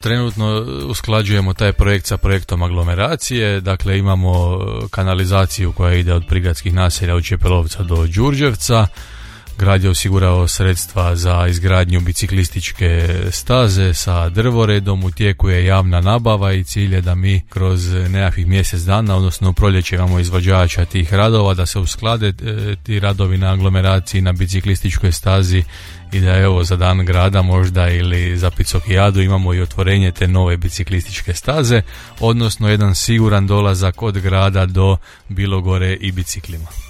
Trenutno usklađujemo taj projekt sa projektom aglomeracije, dakle imamo kanalizaciju koja ide od prigradskih naselja od Čepelovca do Đurđevca. Grad je osigurao sredstva za izgradnju biciklističke staze sa drvoredom, u tijeku je javna nabava i cilj je da mi kroz nekakvih mjesec dana, odnosno u proljeće imamo izvođača tih radova, da se usklade ti radovi na aglomeraciji, na biciklističkoj stazi i da evo za dan grada možda ili za Picokijadu imamo i otvorenje te nove biciklističke staze, odnosno jedan siguran dolazak od grada do Bilogore i biciklima.